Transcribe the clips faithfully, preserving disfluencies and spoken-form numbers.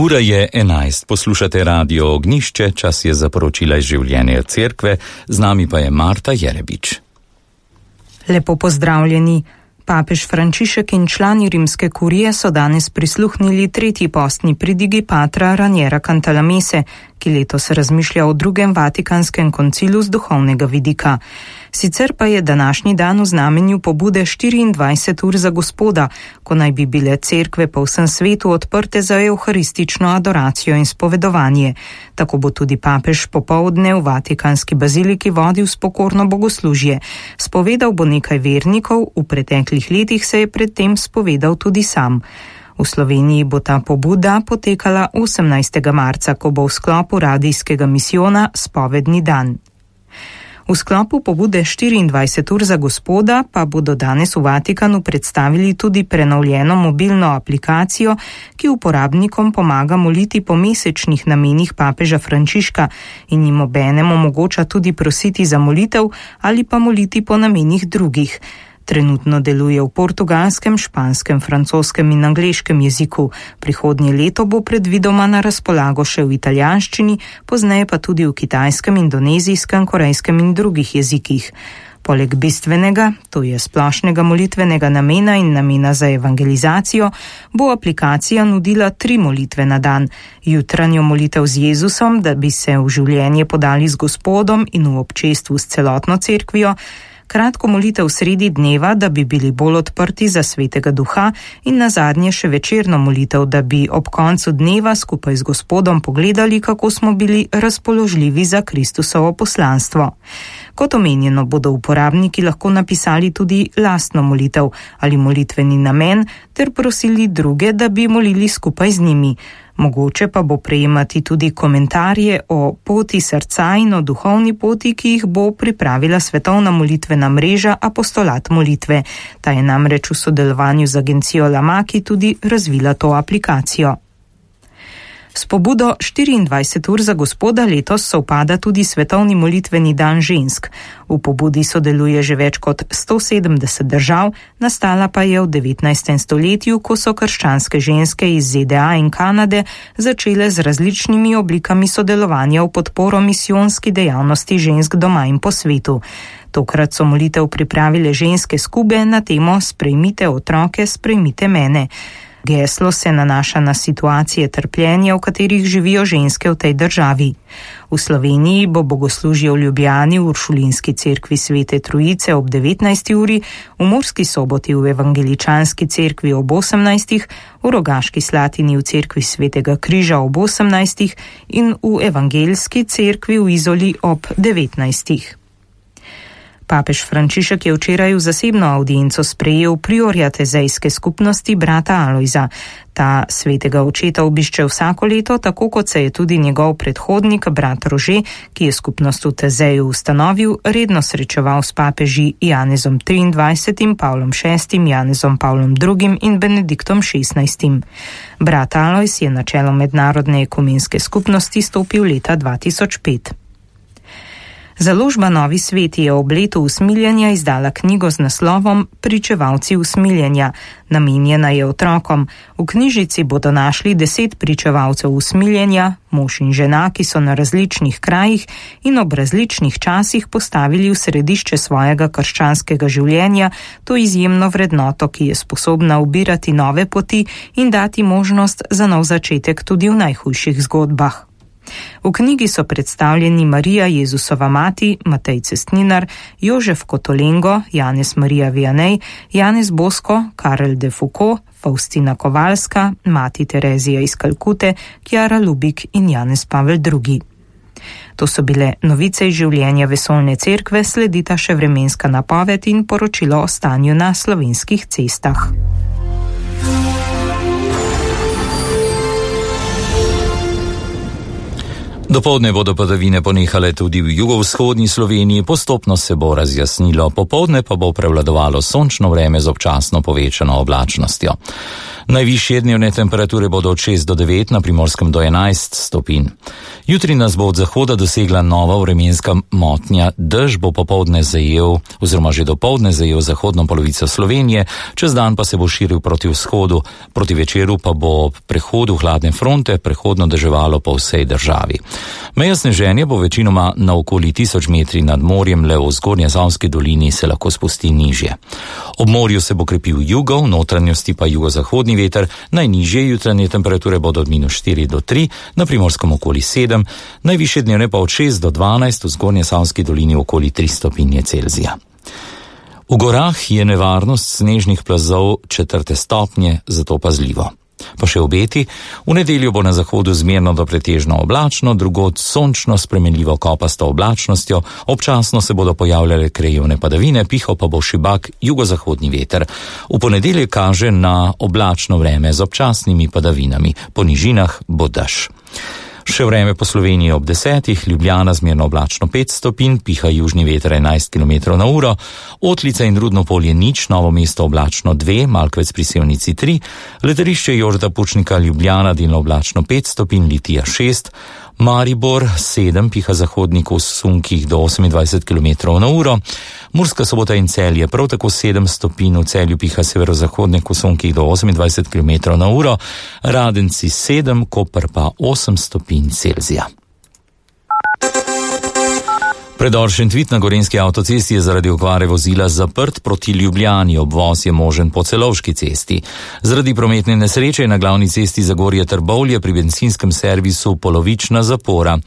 Ura je enajst, poslušate Radio Ognjišče, čas je za poročila iz življenja cerkve, z nami pa je Marta Jerebič. Lepo pozdravljeni. Papež Frančišek in člani rimske kurije so danes prisluhnili tretji postni pridigi patra Raniera Cantalamesse, ki letos razmišlja o drugem Vatikanskem koncilu z duhovnega vidika. Sicer pa je današnji dan v znamenju pobude štiriindvajset ur za Gospoda, ko naj bi bile cerkve po vsem svetu odprte za evharistično adoracijo in spovedovanje. Tako bo tudi papež popoldne v Vatikanski baziliki vodil spokorno bogoslužje. Spovedal bo nekaj vernikov, v preteklih letih se je predtem spovedal tudi sam. V Sloveniji bo ta pobuda potekala osemnajstega marca, ko bo v sklopu radijskega misijona spovedni dan. V sklopu pobude štiriindvajset ur za Gospoda pa bodo danes v Vatikanu predstavili tudi prenovljeno mobilno aplikacijo, ki uporabnikom pomaga moliti po mesečnih namenih papeža Frančiška in jim obenem omogoča tudi prositi za molitev ali pa moliti po namenih drugih. Trenutno deluje v portugalskem, španskem, francoskem in angleškem jeziku. Prihodnje leto bo predvidoma na razpolago še v italijanščini, pozneje pa tudi v kitajskem, indonezijskem, korejskem in drugih jezikih. Poleg bistvenega, to je splošnega molitvenega namena in namena za evangelizacijo, bo aplikacija nudila tri molitve na dan. Jutranjo molitev z Jezusom, da bi se v življenje podali z Gospodom in v občestvu s celotno cerkvijo, kratko molitev sredi dneva, da bi bili bolj odprti za svetega duha in nazadnje še večerno molitev, da bi ob koncu dneva skupaj z Gospodom pogledali, kako smo bili razpoložljivi za Kristusovo poslanstvo. Kot omenjeno, bodo uporabniki lahko napisali tudi lastno molitev ali molitveni namen ter prosili druge, da bi molili skupaj z njimi. Mogoče pa bo prejemati tudi komentarje o poti srca in o duhovni poti, ki jih bo pripravila svetovna molitvena mreža Apostolat molitve. Ta je namreč v sodelovanju z agencijo Lamaki tudi razvila to aplikacijo. S pobudo štiriindvajset ur za Gospoda letos sovpada tudi svetovni molitveni dan žensk. V pobudi sodeluje že več kot sto sedemdeset držav, nastala pa je v devetnajstem stoletju, ko so krščanske ženske iz Z D A in Kanade začele z različnimi oblikami sodelovanja v podporo misijonski dejavnosti žensk doma in po svetu. Tokrat so molitev pripravile ženske skube na temo Sprejmite otroke, sprejmite mene. Geslo se nanaša na situacije trpljenja, v katerih živijo ženske v tej državi. V Sloveniji bo bogoslužje v Ljubljani v Uršulinski cerkvi Svete Trojice ob devetnajsti uri, v Murski Soboti v Evangeličanski cerkvi ob osemnajstih, v Rogaški Slatini v cerkvi Svetega Križa ob osemnajstih in v Evangeljski cerkvi v Izoli ob devetnajstih. Papež Frančišek je včeraj v zasebno avdienco sprejel priorja tezejske skupnosti brata Alojza. Ta svetega očeta obišče vsako leto, tako kot se je tudi njegov predhodnik, brat Rože, ki je skupnost v Tezeju ustanovil, redno srečeval s papeži Janezom triindvajsetim, Pavlom šestim, Janezom Pavlom drugim in Benediktom šestnajstim. Brat Alojz je na čelo mednarodne ekumenske skupnosti stopil leta dva tisoč pet. Založba Novi svet je ob letu usmiljenja izdala knjigo z naslovom Pričevalci usmiljenja. Namenjena je otrokom. V knjižici bodo našli deset pričevalcev usmiljenja, mož in žena, ki so na različnih krajih in ob različnih časih postavili v središče svojega krščanskega življenja to izjemno vrednoto, ki je sposobna ubirati nove poti in dati možnost za nov začetek tudi v najhujših zgodbah. V knjigi so predstavljeni Marija Jezusova mati, Matej Cestninar, Jožef Kotolengo, Janez Marija Vianney, Janez Bosko, Karel de Foucault, Faustina Kovalska, mati Terezija iz Kalkute, Kjara Lubik in Janez Pavel drugi. To so bile novice iz življenja vesoljne cerkve, sledita še vremenska napoved in poročilo o stanju na slovenskih cestah. Dopoldne bodo padavine ponehale tudi v jugovzhodni Sloveniji, postopno se bo razjasnilo, popoldne pa bo prevladovalo sončno vreme z občasno povečano oblačnostjo. Najvišje dnevne temperature bodo od šest do devet, na Primorskem do enajst stopinj. Jutri nas bo od zahoda dosegla nova vremenska motnja, dež bo popoldne zajel, oziroma že dopoldne zajel zahodno polovico Slovenije, čez dan pa se bo širil proti vzhodu, proti večeru pa bo ob prehodu hladne fronte prehodno deževalo po vsej državi. Meja sneženja bo večinoma na okoli tisoč metri nad morjem, le v Zgornjesavski dolini se lahko spusti nižje. Ob morju se bo krepil jugo, v notranjosti pa jugozahodni veter, najnižje jutranje temperature bodo od minus štiri do tri, na Primorskem okoli sedem, najvišje dnevne pa od šest do dvanajst, v Zgornjesavski dolini okoli tri stopinje Celzija. V gorah je nevarnost snežnih plazov četrte stopnje, zato pazljivo. Pa še obeti, v nedeljo bo na zahodu zmerno do pretežno oblačno, drugod sončno spremenljivo kopasto oblačnostjo, občasno se bodo pojavljale krajevne padavine, pihal pa bo šibak jugozahodni veter. V ponedeljek kaže na oblačno vreme z občasnimi padavinami, po nižinah bo dež. Še vreme po Sloveniji ob desetih, Ljubljana zmerno oblačno pet stopinj, piha južni veter enajst kilometrov na uro, Otlica in Rudno Polje nič, Novo mesto oblačno dve, Malkovec pri Sevnici tri, Letališče Jožeta Pučnika Ljubljana delno oblačno pet stopinj, Litija šest, Maribor sedem, piha zahodnik v sunkih do osemindvajset kilometrov na uro, Murska Sobota in Celje prav tako sedem stopinj, v Celju piha severozahodnik v sunkih do osemindvajset kilometrov na uro, Radenci sedem, Koper pa osem stopinj Celzija. Predor Šentvid na Gorenjski avtocesti je zaradi okvare vozila zaprt proti Ljubljani, obvoz je možen po Celovški cesti. Zaradi prometne nesreče je na glavni cesti Zagorje-Trbovlje pri benzinskem servisu polovična zapora.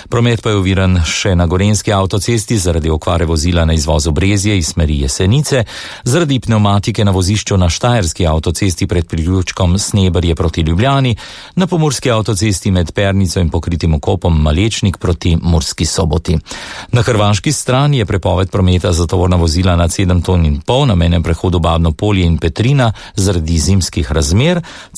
Promet pa je oviran še na Gorenjski avtocesti zaradi okvare vozila na izvozu Brezje iz smeri Jesenice, zaradi pneumatike na vozišču na Štajerski avtocesti pred priključkom Sneberje proti Ljubljani, na Pomurski avtocesti med Pernico in pokritim okopom Malečnik proti Murski Soboti. Na hrvaški strani je prepoved prometa za tovorna vozila nad sedem ton in pol na mejnem prehodu Babno Polje in Petrina zaradi zimskih razmer.